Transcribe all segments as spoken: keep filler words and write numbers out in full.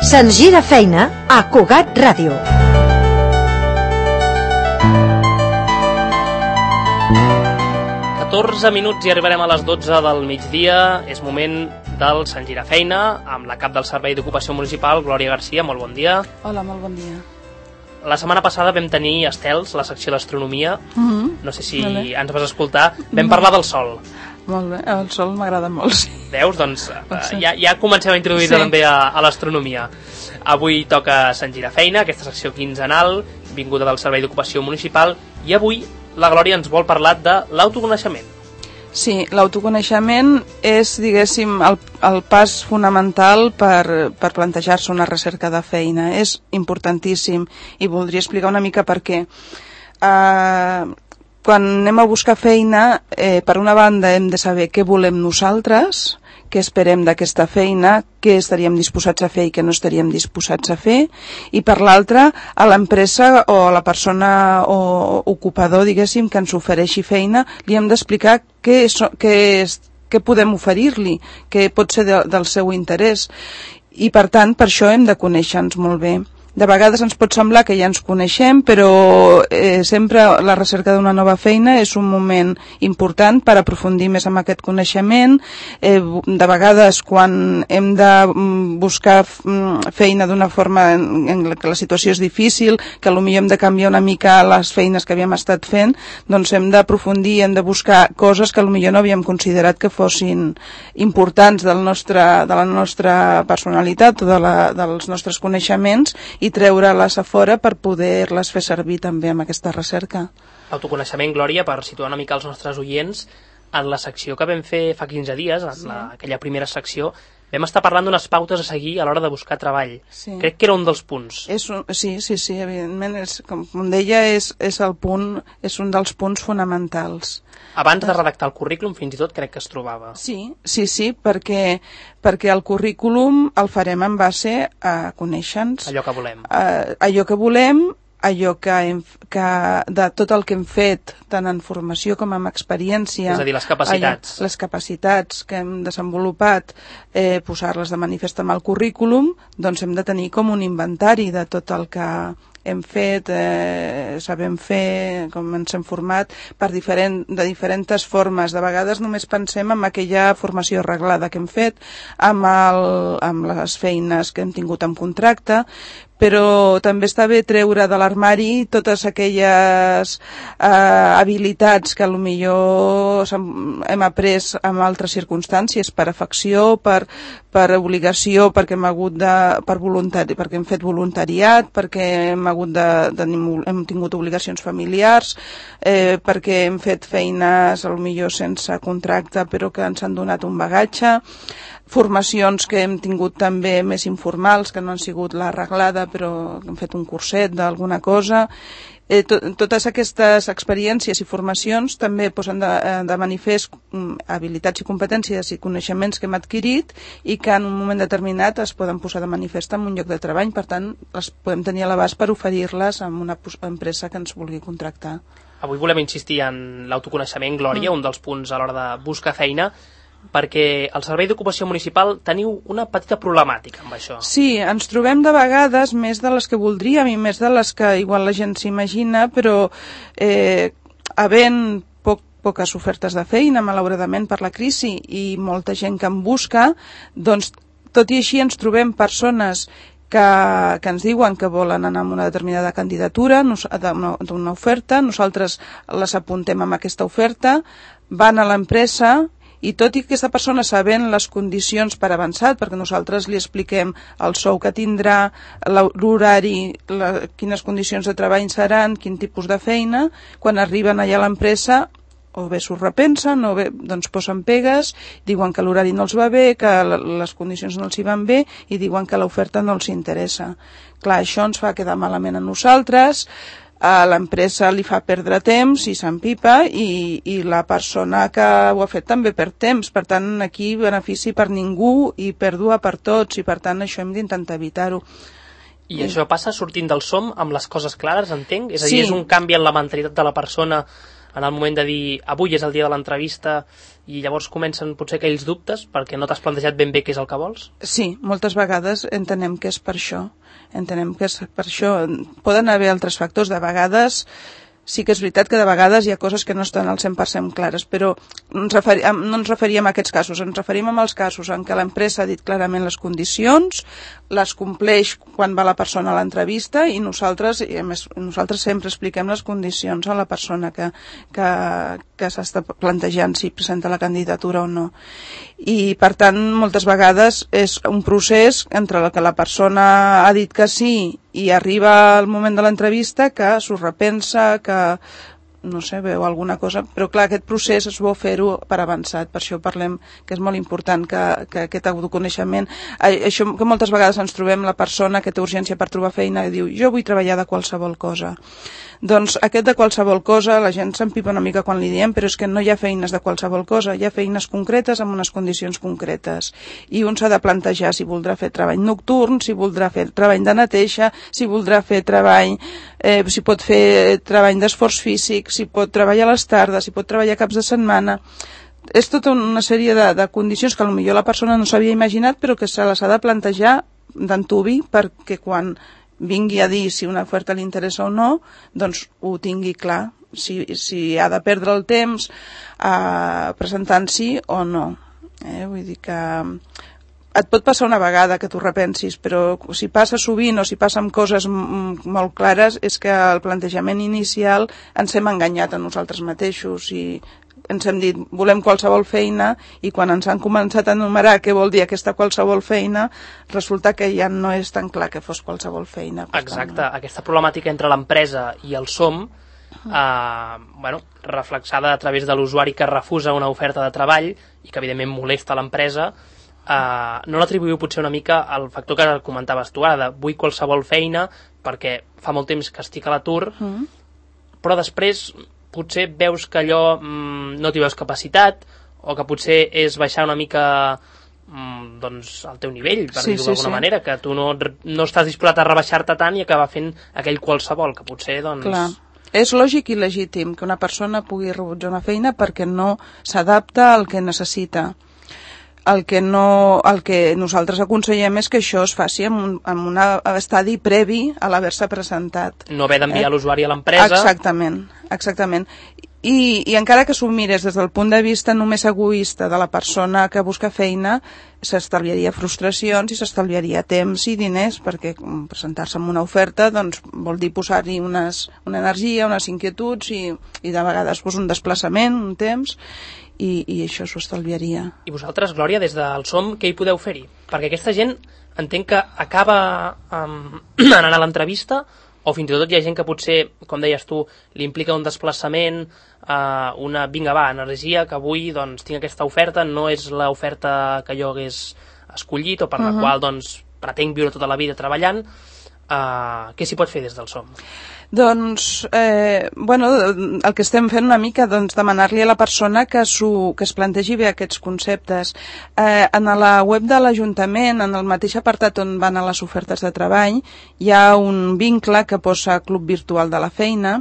Se'ns gira feina a Cugat Ràdio. catorze minuts i arribarem a les dotze del migdia. És moment del Se'ns gira feina amb la cap del Servei d'Ocupació Municipal, Glòria Garcia. Molt bon dia. Hola, molt bon dia. La setmana passada vam tenir estels, la secció d'astronomia. Mm-hmm. No sé si vale. ens vas escoltar. Vam parlar del sol. Molt bé, el sol m'agrada molt, sí. Veus? Doncs sí. ja, ja comencem a introduir-te sí. també a, a l'astronomia. Avui toca Se'ns gira feina, aquesta secció quinzenal, vinguda del Servei d'Ocupació Municipal, i avui la Glòria ens vol parlar de l'autoconeixement. Sí, l'autoconeixement és, diguéssim, el, el pas fonamental per, per plantejar-se una recerca de feina. És importantíssim i voldria explicar una mica per què. Uh, quan anem a buscar feina, eh, per una banda hem de saber què volem nosaltres, què esperem d'aquesta feina, què estaríem disposats a fer i què no estaríem disposats a fer, i per l'altra, a l'empresa o a la persona o ocupador, diguéssim, que ens ofereixi feina, li hem d'explicar què, és, què, és, què podem oferir-li, què pot ser de, del seu interès, i per tant, per això hem de conèixer-nos molt bé. De vegades ens pot semblar que ja ens coneixem, però eh, sempre la recerca d'una nova feina és un moment important per aprofundir més en aquest coneixement. Eh, de vegades, quan hem de buscar feina d'una forma en, en què la situació és difícil, que potser hem de canviar una mica les feines que havíem estat fent, doncs hem d'aprofundir, hem de buscar coses que potser no havíem considerat que fossin importants del nostre, de la nostra personalitat o de la, dels nostres coneixements, i treure-les a fora per poder-les fer servir també amb aquesta recerca. Autoconeixement, Glòria, per situar una mica els nostres oients, en la secció que vam fer fa quinze dies, en sí. la, aquella primera secció, vam estar parlant d'unes pautes a seguir a l'hora de buscar treball. Sí. Crec que era un dels punts. És un, sí, sí, sí, evidentment, és, com deia, és, és, el punt, és un dels punts fonamentals. Abans de redactar el currículum, fins i tot crec que es trobava. Sí, sí, sí, perquè, perquè el currículum el farem en base a conèixer-nos. Allò que volem. A, allò que volem, allò que, hem, que de tot el que hem fet, tant en formació com en experiència. És a dir, les capacitats. Allò, les capacitats que hem desenvolupat, eh, posar-les de manifest amb el currículum, doncs hem de tenir com un inventari de tot el que hem fet, eh, sabem fer, com ens hem format, per diferent, de diferents formes. De vegades només pensem en aquella formació arreglada que hem fet, amb, el, amb les feines que hem tingut en contracte, però també està bé treure de l'armari totes aquelles eh, habilitats que potser hem après en altres circumstàncies, per afecció, per, per obligació, perquè hem, hagut de, per voluntari, perquè hem fet voluntariat, perquè hem, hagut de, de, hem tingut obligacions familiars, eh, perquè hem fet feines potser sense contracte però que ens han donat un bagatge, formacions que hem tingut també més informals, que no han sigut l'arreglada, però hem fet un curset d'alguna cosa. Eh, to, totes aquestes experiències i formacions també posen de, de manifest um, habilitats i competències i coneixements que hem adquirit i que en un moment determinat es poden posar de manifest en un lloc de treball. Per tant, les podem tenir a l'abast per oferir-les a una empresa que ens vulgui contractar. Avui volem insistir en l'autoconeixement, Glòria, mm. un dels punts a l'hora de buscar feina, perquè al Servei d'Ocupació Municipal teniu una petita problemàtica amb això. Sí, ens trobem de vegades més de les que voldríem i més de les que igual la gent s'imagina, però eh, havent poc, poques ofertes de feina, malauradament per la crisi, i molta gent que en busca, doncs tot i així ens trobem persones que, que ens diuen que volen anar amb una determinada candidatura, d'una oferta, nosaltres les apuntem amb aquesta oferta, van a l'empresa, i tot i que aquesta persona sabent les condicions per avançat, perquè nosaltres li expliquem el sou que tindrà, l'horari, la, quines condicions de treball seran, quin tipus de feina, quan arriben allà a l'empresa o bé s'ho repensen o bé doncs posen pegues, diuen que l'horari no els va bé, que les condicions no els hi van bé i diuen que l'oferta no els interessa. Clar, això ens fa quedar malament a nosaltres, a l'empresa li fa perdre temps i s'empipa, i, i la persona que ho ha fet també perd temps. Per tant, aquí benefici per ningú i pèrdua per tots, i per tant això hem d'intentar evitar-ho. I això passa sortint del som amb les coses clares, entenc? És a dir, sí. És un canvi en la mentalitat de la persona en el moment de dir avui és el dia de l'entrevista i llavors comencen potser aquells dubtes perquè no t'has plantejat ben bé què és el que vols? Sí, moltes vegades entenem que és per això. Entenem que és per això. Poden haver altres factors. De vegades sí que és veritat que de vegades hi ha coses que no estan al cent per cent clares, però ens referi, no ens referíem a aquests casos, ens referim als casos en què l'empresa ha dit clarament les condicions, les compleix quan va la persona a l'entrevista i nosaltres, i a més, nosaltres sempre expliquem les condicions a la persona que, que, que s'està plantejant si presenta la candidatura o no. I per tant, moltes vegades és un procés entre el que la persona ha dit que sí i arriba el moment de l'entrevista que s'ho repensa, que no sé, veu alguna cosa, però clar, aquest procés és bo fer-ho per avançat, per això parlem que és molt important que, que aquest autoconeixement, això que moltes vegades ens trobem la persona que té urgència per trobar feina i diu, jo vull treballar de qualsevol cosa. Doncs aquest de qualsevol cosa, la gent s'empipa una mica quan li diem, però és que no hi ha feines de qualsevol cosa, hi ha feines concretes amb unes condicions concretes. I un s'ha de plantejar si voldrà fer treball nocturn, si voldrà fer treball de neteja, si voldrà fer treball, eh, si pot fer treball d'esforç físic, si pot treballar a les tardes, si pot treballar caps de setmana. És tota una sèrie de, de condicions que potser la persona no s'havia imaginat, però que se les ha de plantejar d'antuvi perquè quan vingui a dir si una oferta li interessa o no, doncs ho tingui clar, si, si ha de perdre el temps eh, presentant-s'hi o no. Eh? Vull dir que et pot passar una vegada que t'ho repensis, però si passa sovint o si passa amb coses molt clares és que el plantejament inicial ens hem enganyat a nosaltres mateixos i ens hem dit volem qualsevol feina i quan ens han començat a enumerar què vol dir aquesta qualsevol feina resulta que ja no és tan clar que fos qualsevol feina. Exacte, tant, aquesta problemàtica entre l'empresa i el SOM eh, bueno, reflexada a través de l'usuari que refusa una oferta de treball i que evidentment molesta l'empresa, eh, no l'atribuïu potser una mica al factor que comentaves tu ara, de vull qualsevol feina perquè fa molt temps que estic a l'atur, mm. però després potser veus que allò mmm, no t'hi veus capacitat o que potser és baixar una mica mmm, doncs, al teu nivell, per sí, dir-ho sí, d'alguna sí. manera, que tu no, no estàs disposat a rebaixar-te tant i acabar fent aquell qualsevol, que potser doncs... Clar. És lògic i legítim que una persona pugui rebutjar una feina perquè no s'adapta al que necessita. El que, no, el que nosaltres aconsellem és que això es faci en un, en un estadi previ a l'haver-se presentat. No haver d'enviar eh? l'usuari a l'empresa. Exactament, exactament. I, I encara que s'ho mires des del punt de vista només egoista de la persona que busca feina, s'estalviaria frustracions i s'estalviaria temps i diners, perquè presentar-se en una oferta doncs, vol dir posar-hi unes, una energia, unes inquietuds i, i de vegades pues, un desplaçament, un temps... I, i això s'ho estalviaria. I vosaltres, Glòria, des del SOM, què hi podeu fer-hi? Perquè aquesta gent entenc que acaba um, anant a l'entrevista o fins i tot hi ha gent que potser, com deies tu, li implica un desplaçament, uh, una vinga va, energia, que avui doncs, tinc aquesta oferta, no és l'oferta que jo hagués escollit o per uh-huh. la qual doncs, pretenc viure tota la vida treballant. Uh, què s'hi pot fer des del SOM? Doncs, eh, bueno, el que estem fent una mica, doncs, demanar-li a la persona que, que es plantegi bé aquests conceptes. Eh, en la web de l'Ajuntament, en el mateix apartat on van a les ofertes de treball, hi ha un vincle que posa Club Virtual de la Feina,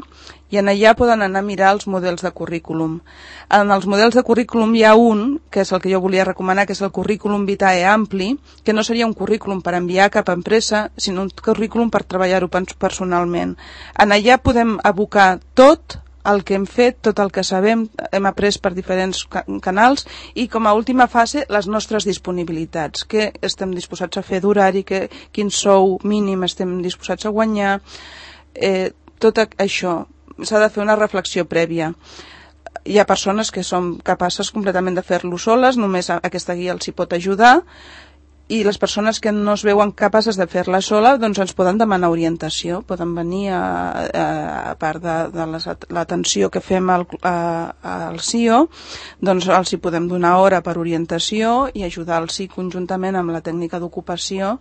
i en allà poden anar a mirar els models de currículum. En els models de currículum hi ha un, que és el que jo volia recomanar, que és el currículum vitae ampli, que no seria un currículum per enviar a cap empresa, sinó un currículum per treballar-ho personalment. En allà podem abocar tot el que hem fet, tot el que sabem, hem après per diferents canals i com a última fase les nostres disponibilitats, què estem disposats a fer d'horari, quin sou mínim estem disposats a guanyar, eh, tot això. S'ha de fer una reflexió prèvia. Hi ha persones que són capaces completament de fer-lo soles, només aquesta guia els hi pot ajudar, i les persones que no es veuen capaces de fer-la sola doncs ens poden demanar orientació, poden venir a, a, a part de, de l'atenció que fem al, a, al C I O, doncs els hi podem donar hora per orientació i ajudar-los conjuntament amb la tècnica d'ocupació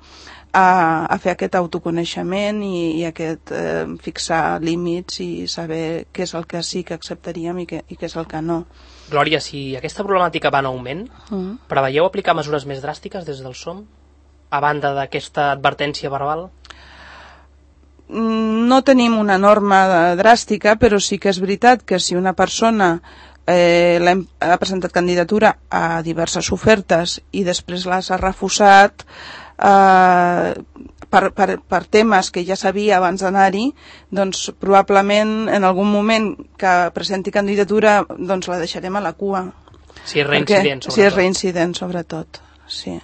a, a fer aquest autoconeixement i, i aquest eh, fixar límits i saber què és el que sí que acceptaríem i què, i què és el que no. Glòria, si aquesta problemàtica va en augment, mm. preveieu aplicar mesures més dràstiques des del SOM, a banda d'aquesta advertència verbal? no tenim una norma dràstica, però sí que és veritat que si una persona eh, ha presentat candidatura a diverses ofertes i després les ha refusat eh, per, per, per temes que ja sabia abans d'anar-hi, doncs probablement en algun moment que presenti candidatura doncs la deixarem a la cua. Si és reincident, perquè, sobretot. Si és reincident, sobretot, sí.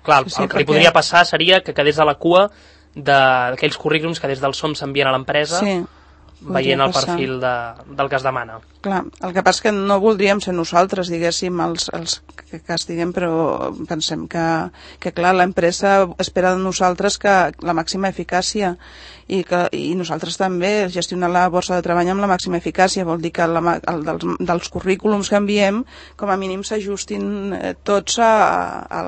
Clar, sí, sí, el que perquè... li podria passar seria que quedés a la cua d'aquells currículums que des del S O M s'envien a l'empresa, sí, veient el passar. perfil de, del que es demana. Clar, el que passa és que no voldríem ser nosaltres, diguéssim, els, els que castiguem, però pensem que, que clar, l'empresa espera de nosaltres que la màxima eficàcia i, que, i nosaltres també gestionar la borsa de treball amb la màxima eficàcia, vol dir que la, el, dels, dels currículums que enviem com a mínim s'ajustin eh, tots a, a,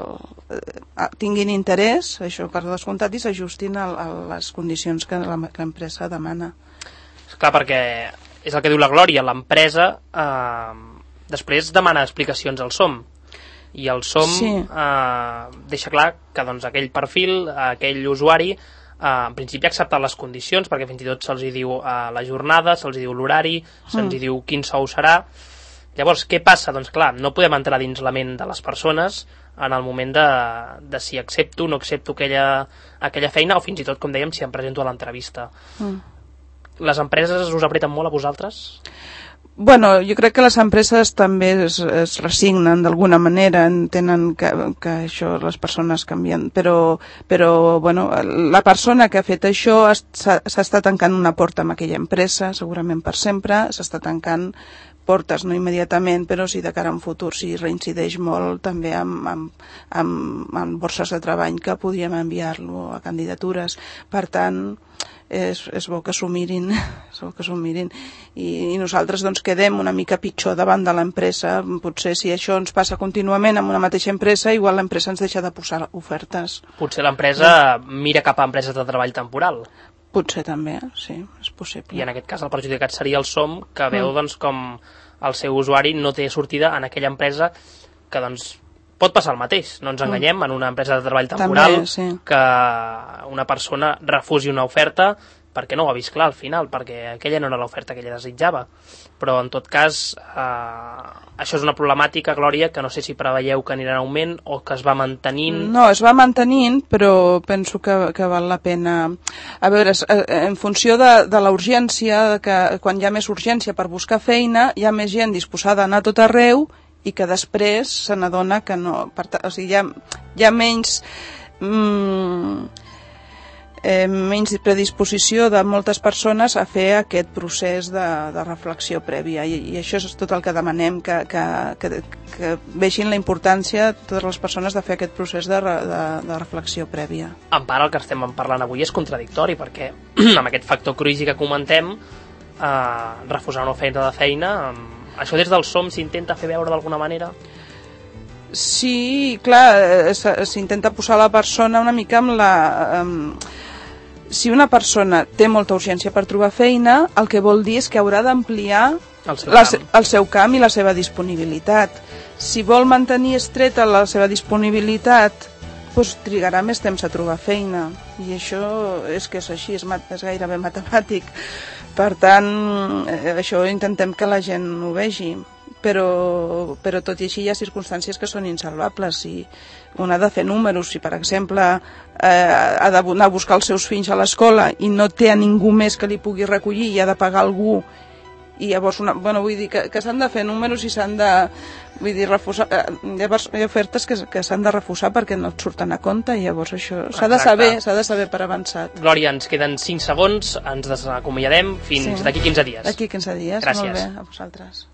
a, tinguin interès, això per descomptat, i s'ajustin a, a les condicions que l'empresa demana. Clar, perquè és el que diu la Glòria, l'empresa eh, després demana explicacions al S O M i el S O M sí. eh, deixa clar que doncs, aquell perfil, aquell usuari eh, en principi ha acceptat les condicions, perquè fins i tot se'ls diu eh, la jornada, se'ls diu l'horari, se'ls mm. diu quin sou serà. Llavors, què passa? Doncs clar, no podem entrar dins la ment de les persones en el moment de, de si accepto o no accepto aquella, aquella feina, o fins i tot, com dèiem, si em presento a l'entrevista. Mm. Les empreses us apreten molt a vosaltres? Bueno, jo crec que les empreses també es, es resignen d'alguna manera, entenen que, que això les persones canvien, però, però bueno, la persona que ha fet això s'està tancant una porta amb aquella empresa, segurament per sempre, s'està tancant portes, no immediatament, però sí de cara a un futur, si reincideix molt també amb, amb, amb, amb borses de treball que podríem enviar-lo a candidatures. Per tant, és, és bo que s'ho mirin, és bo que s'ho mirin. I, i nosaltres doncs quedem una mica pitjor davant de l'empresa. Potser si això ens passa contínuament amb una mateixa empresa, igual l'empresa ens deixa de posar ofertes. Potser l'empresa mira cap a empreses de treball temporal. Potser també, sí, és possible. I en aquest cas el perjudicat seria el S O M, que veu mm. doncs, com el seu usuari no té sortida en aquella empresa, que doncs pot passar el mateix, no ens enganyem, en una empresa de treball temporal, també, sí. que una persona refusi una oferta perquè no ho ha vist clar al final, perquè aquella no era l'oferta que ella desitjava. Però en tot cas, eh, això és una problemàtica, Glòria, que no sé si preveieu que anirà en augment o que es va mantenint. No, es va mantenint, però penso que, que val la pena. A veure, en funció de, de la urgència, que quan hi ha més urgència per buscar feina, hi ha més gent disposada a anar a tot arreu i que després se n'adona que no... Per, o sigui, hi ha, hi ha menys... Mm, eh, menys predisposició de moltes persones a fer aquest procés de, de reflexió prèvia i, i això és tot el que demanem, que, que, que, que vegin la importància totes les persones de fer aquest procés de, de, de reflexió prèvia. En part el que estem parlant avui és contradictori perquè amb aquest factor cruïsi que comentem eh, refusar una oferta de feina, eh, això des del S O M s'intenta fer veure d'alguna manera? Sí, clar, s'intenta posar la persona una mica amb la... Amb, si una persona té molta urgència per trobar feina, el que vol dir és que haurà d'ampliar el, el seu camp i la seva disponibilitat. Si vol mantenir estreta la seva disponibilitat, doncs trigarà més temps a trobar feina. I això és que és així, és, és gairebé matemàtic. Per tant, això intentem que la gent ho vegi. Però, però tot i així hi ha circumstàncies que són insalvables. Si un ha de fer números, si per exemple eh, ha d'anar a buscar els seus fills a l'escola i no té a ningú més que li pugui recollir i ha de pagar algú, i llavors una, bueno, vull dir que, que s'han de fer números i s'han de, vull dir, refusar, llavors hi ha ofertes que, que s'han de refusar perquè no et surten a compte i llavors això s'ha de saber, s'ha de saber per avançat. Glòria, ens queden cinc segons, ens desacomiadem fins sí. d'aquí quinze dies. D'aquí quinze dies, gràcies. Molt bé, a vosaltres.